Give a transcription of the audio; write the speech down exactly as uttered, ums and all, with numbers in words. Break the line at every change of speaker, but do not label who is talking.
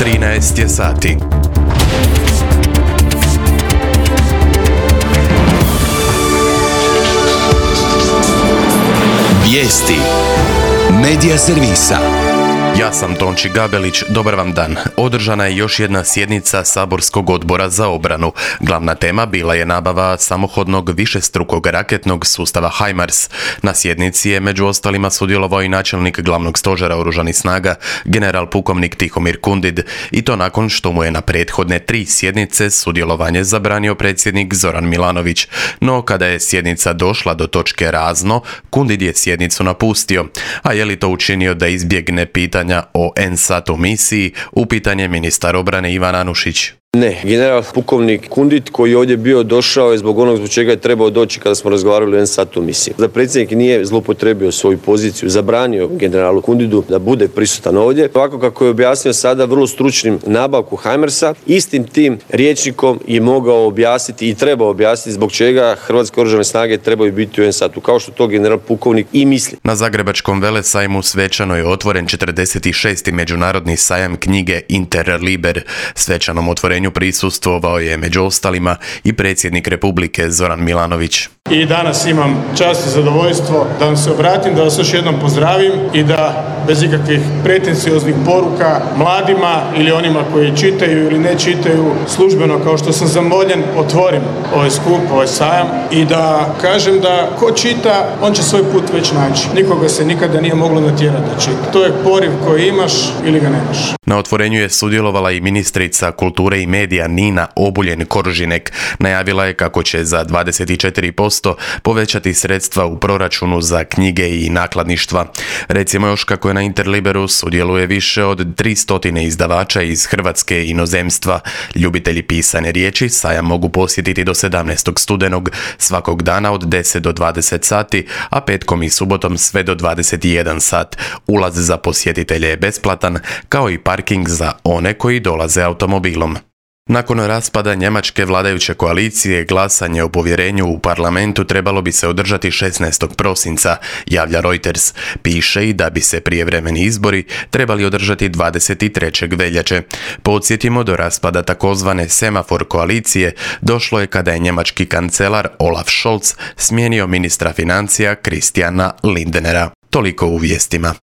trinaest je sati.
Vijesti Medija servisa.
Ja sam Tonči Gabelić, dobar vam dan. Održana je još jedna sjednica Saborskog odbora za obranu. Glavna tema bila je nabava samohodnog višestrukog raketnog sustava HIMARS. Na sjednici je među ostalima sudjelovao i načelnik glavnog stožera oružanih snaga, general pukovnik Tihomir Kundid, i to nakon što mu je na prethodne tri sjednice sudjelovanje zabranio predsjednik Zoran Milanović. No kada je sjednica došla do točke razno, Kundid je sjednicu napustio. A je li to učinio da izbjegne pitanja o NSATU misiji, upitan je ministar obrane Ivan Anušić.
Ne, general pukovnik Kundid koji je ovdje bio došao je zbog onog zbog čega je trebao doći kada smo razgovarali o NSATU misiji. Da predsjednik nije zloupotrebio svoju poziciju, zabranio generalu Kundidu da bude prisutan ovdje. Ovako kako je objasnio sada vrlo stručnim nabavku HIMARS-a, istim tim rječnikom je mogao objasniti i trebao objasniti zbog čega Hrvatske oružane snage trebaju biti u NSATU, kao što to general pukovnik i misli.
Na Zagrebačkom velesajmu svečano je otvoren četrdeset šesti međunarodni sajam knjige Interliber. Svečanom otvorenju prisustvovao je među ostalima i predsjednik Republike Zoran Milanović.
I danas imam čast i zadovoljstvo da vam se obratim, da vas još jednom pozdravim i da bez ikakvih pretencioznih poruka mladima ili onima koji čitaju ili ne čitaju službeno, kao što sam zamoljen, otvorim ovaj skup, ovaj sajam i da kažem da ko čita, on će svoj put već naći. Nikoga se nikada nije moglo natjerati da čita. To je poriv koji imaš ili ga nemaš.
Na otvorenju je sudjelovala i ministrica kulture i medija Nina Obuljen-Koržinek. Najavila je kako će za dvadeset četiri posto povećati sredstva u proračunu za knjige i nakladništva. Recimo još kako je na Interliberu sudjeluje više od tristo izdavača iz Hrvatske i inozemstva. Ljubitelji pisane riječi sajam mogu posjetiti do sedamnaestog studenog svakog dana od deset do dvadeset sati, a petkom i subotom sve do dvadeset jedan sat. Ulaz za posjetitelje je besplatan, kao i parking za one koji dolaze automobilom. Nakon raspada njemačke vladajuće koalicije, glasanje o povjerenju u parlamentu trebalo bi se održati šesnaestog prosinca, javlja Reuters. Piše i da bi se prijevremeni izbori trebali održati dvadeset trećeg veljače. Podsjetimo, do raspada takozvane semafor koalicije došlo je kada je njemački kancelar Olaf Scholz smijenio ministra financija Christiana Lindnera. Toliko u vijestima.